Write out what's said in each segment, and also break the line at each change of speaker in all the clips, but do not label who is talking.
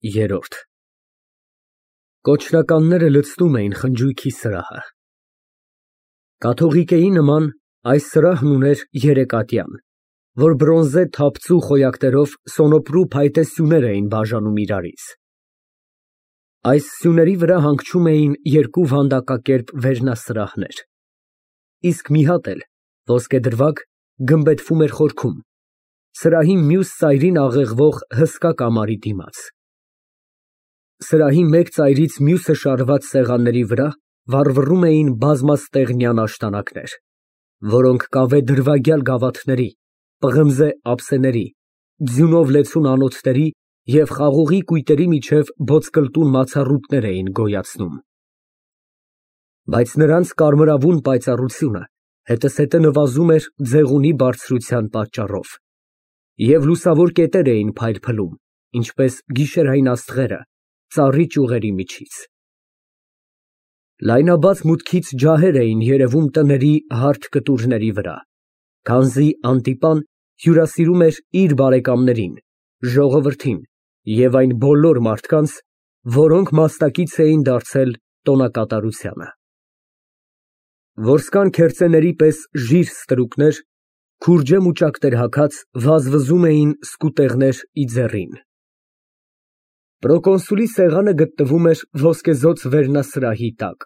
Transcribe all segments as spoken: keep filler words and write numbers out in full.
Երրորդ Կոչրականները լցնում էին խնջույքի սրահը։ Կաթողիկեի նման այս սրահն ուներ երեկատյան, որ բրոնզե թապծու խոյակներով սոնոպրու փայտե սյուներ էին բաժանում իրարից։ Այս սյուների վրա հանգչում էին երկու վանդակակերպ վերնասրահներ, իսկ մի հատ էլ ոսկեդրվագ գմբեթվում էր խորքում, սրահի մյուս ծայրին աղեղվող հսկա կամարի դիմաց։ Սրահի մեկ ծայրից մյուսը շարված սեղանների վրա վառվռում էին բազմաստեղնյան աշտանակներ, որոնք կավե դրվագյալ գավաթների, պղնձե ափսեների, ձյունով լեցուն անոթների և խաղողի կույտերի միջև բոցկլտուն մացառուտներ էին գոյացնում։ Բայց նրանց կարմրավուն պայծառությունը հետզհետե նվազում էր ձեղունի բարձրության պատճառով, և լուսավոր կետեր էին փայլփլում, ինչպես գիշերային աստղերը ծառի ճյուղերի միջից։ Լայնաբաց մուտքից ջահեր էին երևում տների հարթ կտուրների վրա, քանզի Անտիպան հյուրասիրում էր իր բարեկամներին, ժողովրդին և այն բոլոր մարդկանց, որոնք մասնակից էին դարձել տոնակատարությանը։ Որսկան քերծեների պես ժիր ստրուկներ, քուրջե մուճակներ հագած, վազվզում էին սկուտեղներ ի ձեռին։ Պրոկոնսուլի սեղանը գտնվում էր ոսկեզօծ վերնասրահի տակ,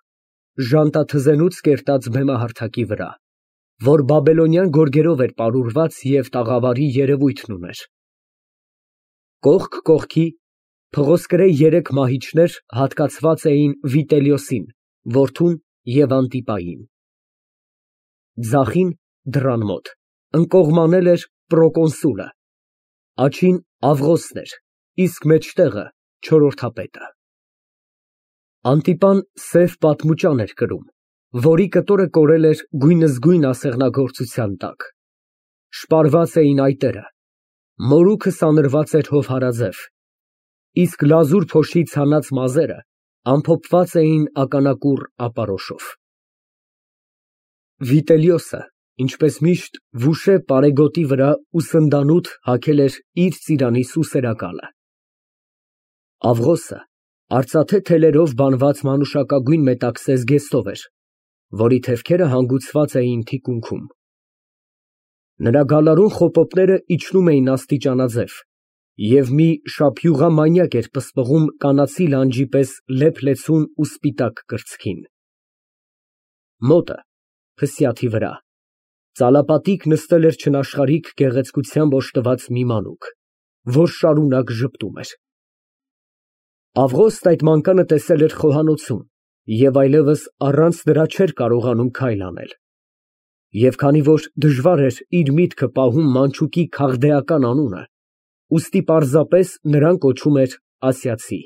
ժանտաթզենուց կերտած բեմահարթակի վրա, որ բաբելոնյան գորգերով էր պարուրված և տաղավարի երևույթն ուներ։ Կողք կողքի փղոսկրե երեք մահիճներ հատկացված էին Վիտելիոսին, որդուն և Անտիպային։ Ձախին, դռան մոտ, ընկողմանել էր պրոկոնսուլը, աջին Ավղոսն էր, իսկ մեջտեղը չորրորդապետը։ Անտիպան սև պատմուճան էր կրում, որի կտորը կորել էր գույնզգույն ասեղնագործության տակ, շպարված էին այտերը, մորուքը սանրված էր հովհարաձև, իսկ լազուր փոշից հանած մազերը ամփոփված էին ականակուռ ապարոշով։ Վիտելիոսը, ինչպես միշտ, վուշե պարեգոտի վրա ու սնդանութ հագել էր իր ծիրանի սուսերակալը։ Ավղոսը արծաթե թելերով բանված մանուշակագույն մետաքսե զգեստով էր, որի թևքերը հանգուցված էին թիկունքում։ Նրա գալարուն խոպոպները իջնում էին աստիճանաձև, և մի շափյուղամանյակ էր պսպղում կանացի լանջի պես լեփ֊լեցուն ու սպիտակ կրծքին։ Մոտը, փսյաթի վրա, ծալապատիկ նստել էր չնաշխարհիկ գեղեցկությամբ օժտված մի մանուկ, որ շարունակ ժպտում էր։ Ավղոստն այդ մանկանը տեսել էր խոհանոցում և այլևս առանց նրա չէր կարողանում քայլ անել, և քանի որ դժվար էր իր միտքը պահում մանչուկի քաղդեական անունը, ուստի պարզապես նրան կոչում էր ասիացի։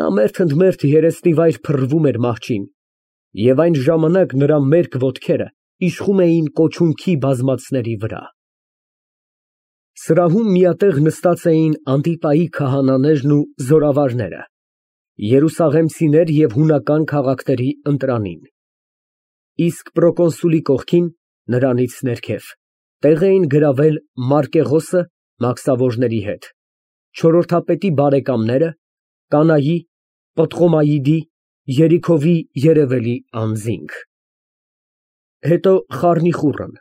Նա մերթ ընդ մերթ երեսնիվայր փռվում էր մահճին, և այն ժամանակ նրա մերկ ոտքերը իշխում էին կոչունքի բազմացների վրա։ Սրահում միատեղ նստած էին Անտիպայի քահանաներն ու զորավարները, երուսաղեմցիներ և հունական քաղաքների ընտրանին, իսկ պրոկոնսուլի կողքին, նրանից ներքև, տեղ էին գրավել Մարկեղոսը մաքսավորների հետ, չորրորդապետի բարեկամները, կանայի, Պտղոմայիդի, Երիքովի երևելի անձինք, հետո Խառնիխուռն,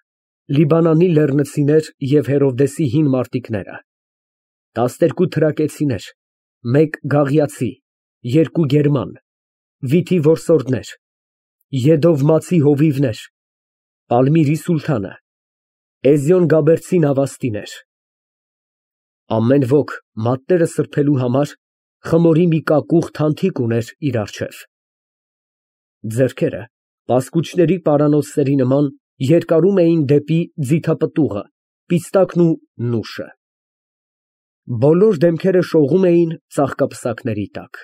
Լիբանանի լեռնցիներ և Հերովդեսի հին մարտիկները, տասներկու թրակեցիներ, մեկ գաղիացի, երկու գերման, Վիթի որսորդներ, Եդովմացի հովիվներ, Պալմիրի սուլթանը, Էզիոն֊Գաբերցի նավաստիներ։ Ամեն ոք մատները սրբելու համար խմորի մի կակուղ թանթիկ ուներ իր առջև։ Ձեռքերը պասկուճների պարանոցների նման երկարում էին դեպի ձիթապտուղը, պիստակն ու նուշը։ Բոլոր դեմքերը շողում էին ծաղկապսակների տակ։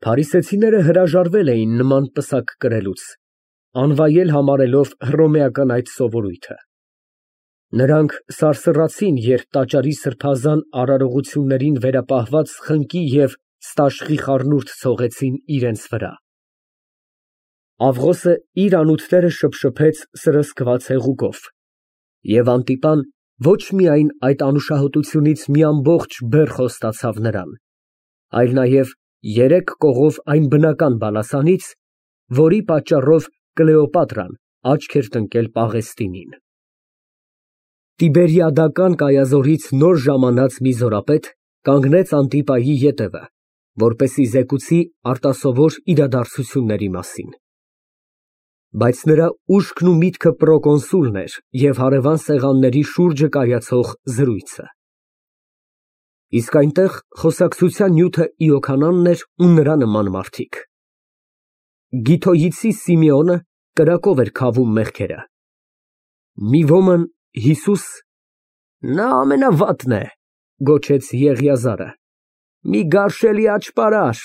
Փարիսեցիները հրաժարվել էին նման պսակ կրելուց, անվայել համարելով հռոմեական այդ սովորույթը։ Նրանք սարսռացին, երբ տաճարի սրբազան արարողություններին վերապահված խնկի և ստաշխի խառնուրդ ցողեցին իրենց վրա։ Ավղոսը իր անոթները շփշփեց սրսկված հեղուկով, և Անտիպան Ոչ միայն այդ անուշահոտությունից մի ամբողջ բեռ խոստացավ նրան, այլ նաև երեք կողով այն բնական բալասանից, որի պատճառով Կլեոպատրան աչք էր տնկել Պաղեստինին։ Տիբերիադական կայազորից նոր ժամանած մի զորապետ կանգնեց Անտիպայի ետևը, որպեսզի զեկուցի արտասովոր իրադարձությունների մասին։ Բայց նրա ուշքն ու միտքը պրոկոնսուլն էր և հարևան սեղանների շուրջը կայացող զրույցը։ Իսկ այնտեղ խոսակցության նյութը Իոքանանն էր ու նրա նման մարդիկ։ Գիթոյիցի Սիմեոնը կրակով էր քավում մեղքերը։ Մի ոմն Հիսուս… Նա ամենավատն է, գոչեց Եղիազարը, մի գարշելի աճպարար։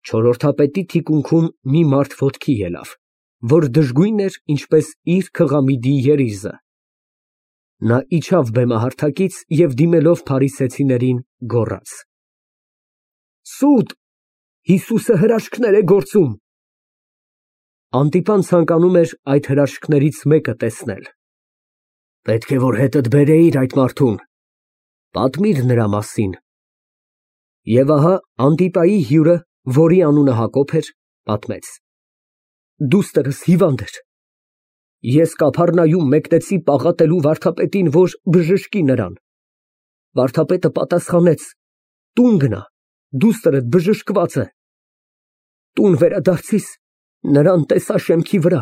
Չորրորդապետի թիկունքում մի մարդ ոտքի ելավ, որ դժգույն էր, ինչպես իր քղամիդի երիզը։ Նա իջավ բեմահարթակից և դիմելով փարիսեցիներին, գոռաց. Սուտ, Հիսուսը հրաշքներ է գործում։ Անտիպան ցանկանում էր այդ հրաշքներից մեկը տեսնել։ Պետք է որ հետդ բերեիր այդ մարդուն, պատմիր նրա մասին։ Եվ ահա Անտիպայի հյուրը, որի անունը Հակոբ էր, պատմեց. Դուստրս հիվանդ էր։ Ես Կափառնայում մեկնեցի պաղատելու վարդապետին, որ բժշկի նրան։ Վարդապետը պատասխանեց. Տուն գնա, դուստրդ բժշկված է։ Տուն վերադարձիս, նրան տեսա շեմքի վրա։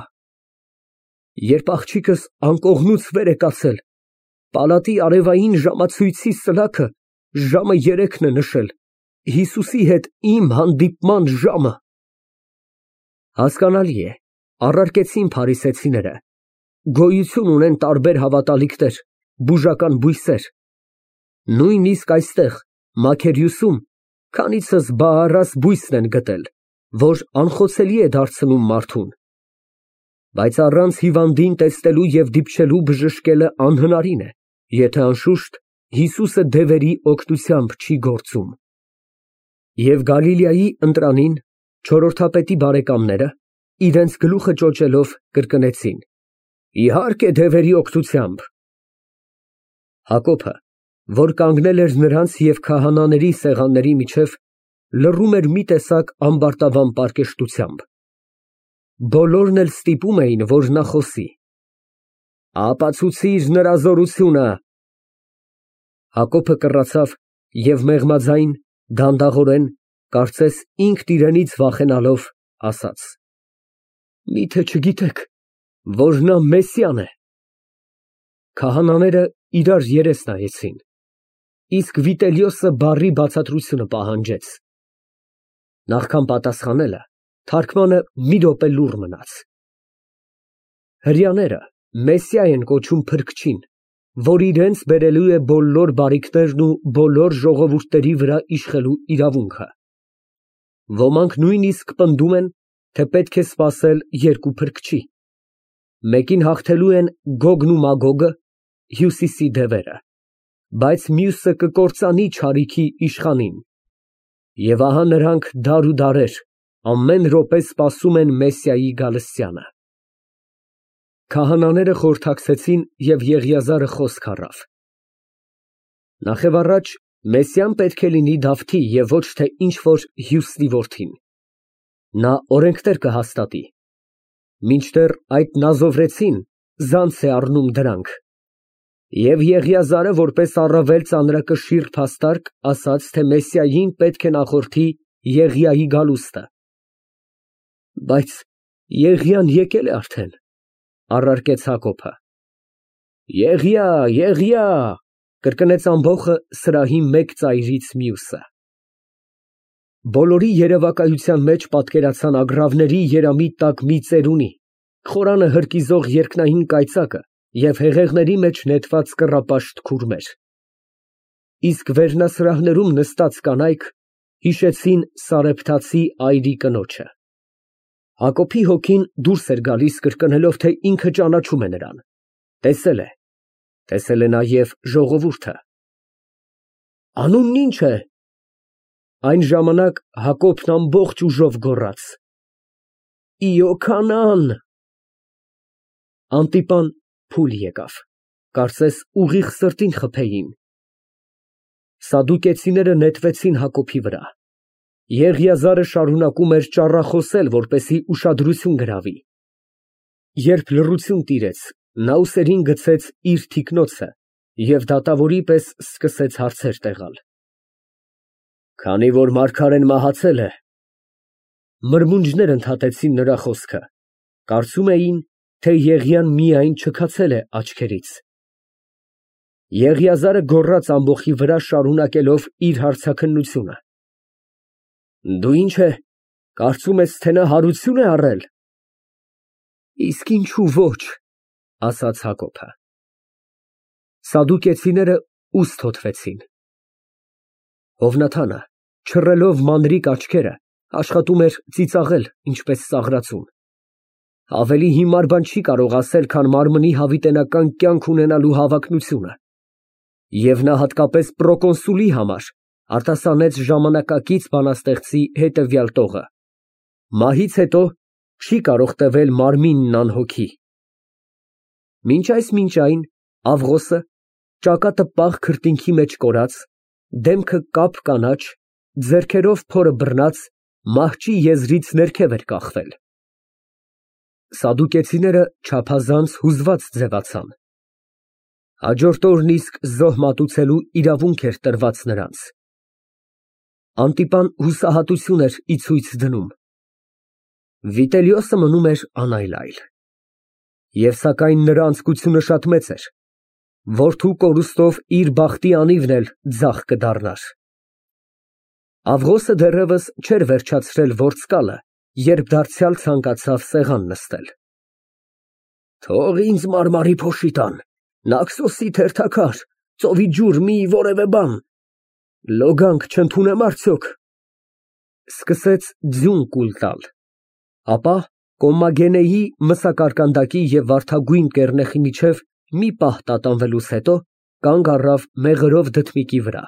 Երբ աղջիկս անկողնուց վեր է կացել, պալատի արևային ժամացույցի սլաքը ժամը երեքն է նշել, Հիսուսի հետ իմ հանդիպման ժամը։ Հասկանալի է, առարկեցին փարիսեցիները, գոյություն ունեն տարբեր հավատալիքներ, բուժական բույսեր։ Նույնիսկ այստեղ, Մաքերիոսում, քանիցս բաառաս բույսն են գտել, որ անխոցելի է դարձնում մարդուն։ Բայց առանց հիվանդին տեսնելու և դիպչելու բժշկելը անհնարին է, եթե անշուշտ Հիսուսը դևերի օգնությամբ չի գործում։ Եվ Գալիլեայի ընտրանին չորրորդապետի բարեկամները, իրենց գլուխը ճոճելով, կրկնեցին. Իհարկե դևերի օգնությամբ։ Հակոբը, որ կանգնել էր նրանց և քահանաների սեղանների միջև, լռում էր մի տեսակ ամբարտավան պարկեշտությամբ։ Բոլորն էլ ստիպում էին, որ նա խոսի։ Ապացուցիր նրա զորությունը։ Հակոբը կռացավ և մեղմաձայն, դանդաղորեն, կարծես ինքն իրենից վախենալով, ասաց. Միթե չգիտեք, որ նա Մեսիան է։ Քահանաները իրար երես նայեցին, իսկ Վիտելիոսը բառի բացատրությունը պահանջեց։ Նախքան պատասխանելը, թարգմանը մի րոպե լուռ մնաց։ Հրեաները Մեսիա են կոչում Փրկչին, որ իրենց բերելու է բոլոր բարիքներն ու բոլոր ժողովուրդների վրա իշխելու իրավունքը։ Ոմանք նույնիսկ պնդում են, թե պետք է սպասել երկու Փրկչի։ Մեկին հաղթելու են Գոգն ու Մագոգը, Հյուսիսի դևերը, բայց մյուսը կկործանի չարիքի իշխանին։ Եվ ահա նրանք դար ու դարեր ամեն րոպե սպասում են Մեսիայի գալստյանը։ Քահանաները խորհրդակցեցին, և Եղիազարը խոսք առավ. Նախևառաջ Մեսիան պետք է լինի Դավթի և ոչ թե ինչ֊որ հյուսնի որդին։ Նա օրենքներ կհաստատի։ Մինչդեռ այդ նազովրեցին զանց է առնում դրանք։ Եվ Եղիազարը, որպես առավել ծանրակշիռ փաստարկ, ասաց, թե Մեսիային պետք է նախորդի Եղիայի գալուստը։ Բայց Եղիան եկել է արդեն, առարկեց Հակոբը։ Եղիա, Եղիա, կրկնեց ամբոխը սրահի մեկ ծայրից մյուսը։ Բոլորի երևակայության մեջ պատկերացան ագռավների երամի տակ մի ծերունի, խորանը հրկիզող երկնային կայծակը և հեղեղների մեջ նետված կռապաշտ քուրմեր։ Իսկ վերնասրահներում նստած կանայք հիշեցին Սարեփթացի այրի կնոջը։ Հակոբի հոգին դուրս էր գալիս կրկնելով, թե ինքը ճանաչում է նրան, տեսել է, տեսել է նաև ժողովուրդը։ Անունն ի՞նչ է։ Այն ժամանակ Հակոբն ամբողջ ուժով գոռաց. Իոքանան։ Անտիպան փուլ եկավ։ կարծես ուղիղ սրտին խփեին։ Սադուկեցիները նետվեցին Հակոբի վրա։ Եղիազարը շարունակում էր ճառախոսել, որպեսզի ուշադրություն գրավի։ Երբ լռություն տիրեց, նա ուսերին գցեց իր թիկնոցը և դատավորի պես սկսեց հարցեր տեղալ։ Քանի որ մարգարեն մահացել է, մրմունջներ ընդհատեցին նրա խոսքը, կարծում էին, թե Եղիան միայն չքացել է աչքերից։ Եղիազարը գոռաց ամբոխի վրա, շարունակելով իր հարցաքննությունը. Դու ինչ է, կարծում ես, թե նա հարություն է առել։ Իսկ ինչու ոչ, ասաց Հակոբը։ Սադուկեցիները ուст հոթվեցին։ Հովնաթանը, չռելով մանրիկ աչքերը, աշխատում էր ծիծաղել, ինչպես ծաղրածուն։ Ավելի հիմար բան չի կարող ասել, քան մարմնի հավիտենական կյանք ունենալու հավակնությունը։ Եվ նա հատկապես պրոկոնսուլի համար արտասանեց ժամանակակից բանաստեղծի հետևյալ տողը. մահից հետո չի կարող տևել մարմինն անհոգի։ Մինչ այս մինչ այն Ավղոսը, ճակատը պաղ քրտինքի մեջ կորած, դեմքը կապ կանաչ, ձեռքերով փորը բռնած, մահճի եզրից ներքև էր կախվել։ Սադուկեցիները չափազանց հուզված ձևացան։ Հաջորդ օրն իսկ զոհ մատուցելու իրավունք էր տրված նրանց։ Անտիպան հուսահատություն էր ի ցույց դնում։ Վիտելիոսը մնում էր անայլայլ։ Եվ սակայն նրա անձկությունը շատ մեծ էր։ Որդու կորուստով իր բախտի անիվն էլ ձախ կդառնար։ Ավղոսը դեռևս չէր վերջացրել ворցկալը, երբ դարձյալ ցանկացավ սեղան նստել։ Թող ինձ մարմարի փոշի տան, նաքսոսի թերթակար, ծովի ջուր մի որևէ բան, լոգանք չընդունեմ արդյոք։ Սկսեց ձյուն կուլ տալ, ապա Կոմմագենեի մսակարկանդակի և վարդագույն կեռնեխի միջև մի պահ տատանվելուց հետո կանգ առավ մեղրով դդմիկի վրա։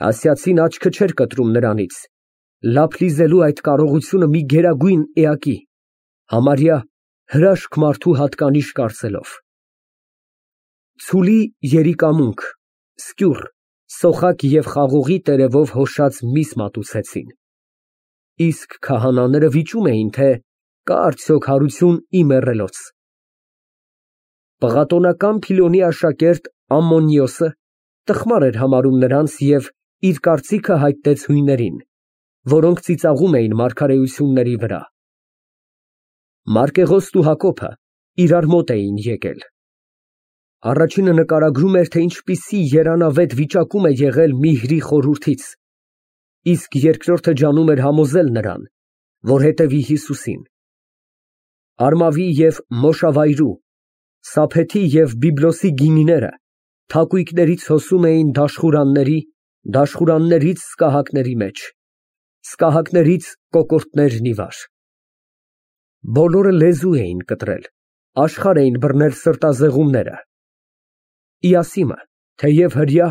Ասիացին աչքը չէր կտրում նրանից, լափ լիզելու այդ կարողությունը մի գերագույն էակի, համարյա հրաշք մարդու հատկանիշ կարծելով։ Ցուլի երիկամունք, սկյուռ, սոխակ և խաղողի տերևով հոշած միս մատուցեցին։ Իսկ քահանաները վիճում էին, թե կա արդյոք հարություն ի մեռելոց։ Պղատոնական Փիլոնի աշակերտ Ամմոնիոսը տխմար էր համարում նրանց և իր կարծիքը հայտնեց հույներին, որոնք ծիծաղում էին մարգարեությունների վրա։ Մարկեղոսն ու Հակոբը իրար մոտ էին եկել։ Առաջինը նկարագրում էր, թե ինչպիսի երանավետ վիճակում է եղել Միհրի խորհրդից, իսկ երկրորդը ջանում էր համոզել նրան, որ հետևի Հիսուսին։ Արմավի և Մոշավայրու, Սափեթի և Բիբլոսի գինիները թակույկներից հոսում էին դաշխուրանների, դաշխուրաններից սկահակների մեջ, սկահակներից կոկորդներն ի վար։ Բոլորը լեզու էին կտրել, աշխարհ էին բռնել սրտազեղումները։ Իասիմը, թեև հրյա,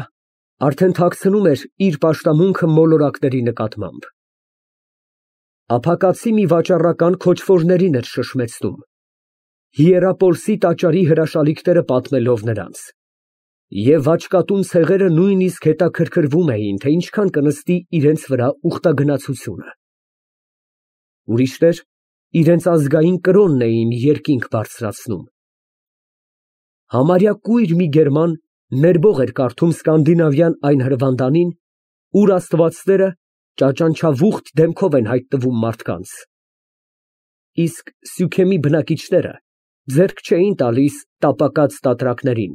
արդեն թաքցնում էր իր պաշտամունքը մոլորակների նկատմամբ։ Ափակացի մի վաճառական քոչվորներին էր շշմեցնում, Հիերապոլսի տաճարի հրաշալիքները պատմելով նրանց, և աչկատուն ցեղերը նույնիսկ հետաքրքրվում էին, թե ինչքան կնստի իրենց վրա ուխտագնացությունը։ Ուրիշներ իրենց ազգային կրոնն էին երկինք բարձրացնում։ Համարյա կույր մի գերման ներբող էր կարդում սկանդինավյան այն հրվանդանին, ուր աստվածները ճաճանչավուխտ դեմքով են հայտնվում մարդկանց։ Իսկ Սյուքեմի բնակիչները ձեռք չէին տալիս տապակած տատրակներին,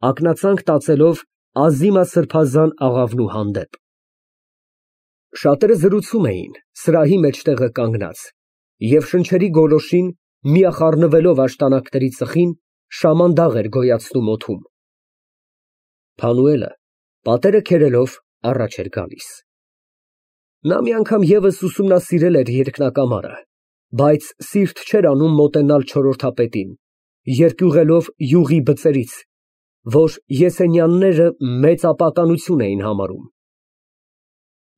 ակնածանք տածելով ազիմասրբազան աղավնու հանդեպ։ Շատերը զրուցում էին սրահի մեջտեղը կանգնած և շնչերի գոլորշին, միախառնվելով աշտանակների ծխին, շամանդաղ էր գոյացնում օդում։ Փանուելը պատերը քերելով առաջ էր գալիս։ Նա մի անգամ ևս ուսումնասիրել էր երկնակամարը, բայց սիրտ չէր անում մոտենալ չորրորդապետին, երկյուղելով յուղի բծերից, որ Եսենյանները մեծ ապականություն էին համարում։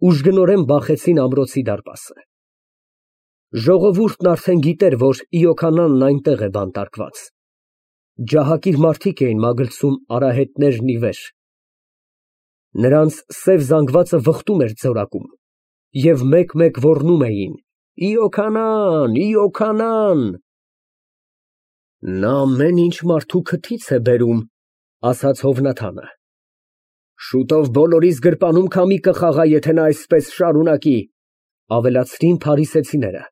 Ուժգնորեն բախեցին ամրոցի դարպասը։ Ժողովուրդն արդեն գիտեր, որ Իոքանանն այնտեղ է բանտարկված։ Ջահակիր մարդիկ էին մագլցում արահետներն ի վեր։ Նրանց սև զանգվածը վխտում էր ձորակում, և մեկ֊մեկ ոռնում էին. «Ի օքանան, ի օքանան»։ «Նա ամեն ինչ մարդու քթից է բերում», ֊ ասաց Հովնաթանը։ «Շուտով բոլորիս գրպանում քամի կխաղա, եթե նա այսպես շարունակի», ֊ ավելացրին փարիսեցիները։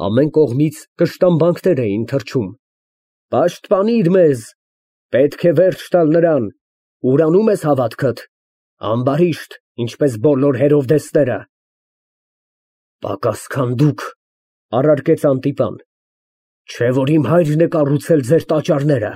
Ամեն կողմից կշտամբանքներ էին թռչում։ «Պաշտպանիր մեզ, պետք է վերջ տալ նրան, ուրանում ես հավատքդ, ամբարիշտ, ինչպես բոլոր Հերովդեսները»։ «Պակաս քան դուք, ֊ առարկեց Անտիպան, ֊ չէ՞ որ իմ հայրն է կառուցել ձեր տաճարները։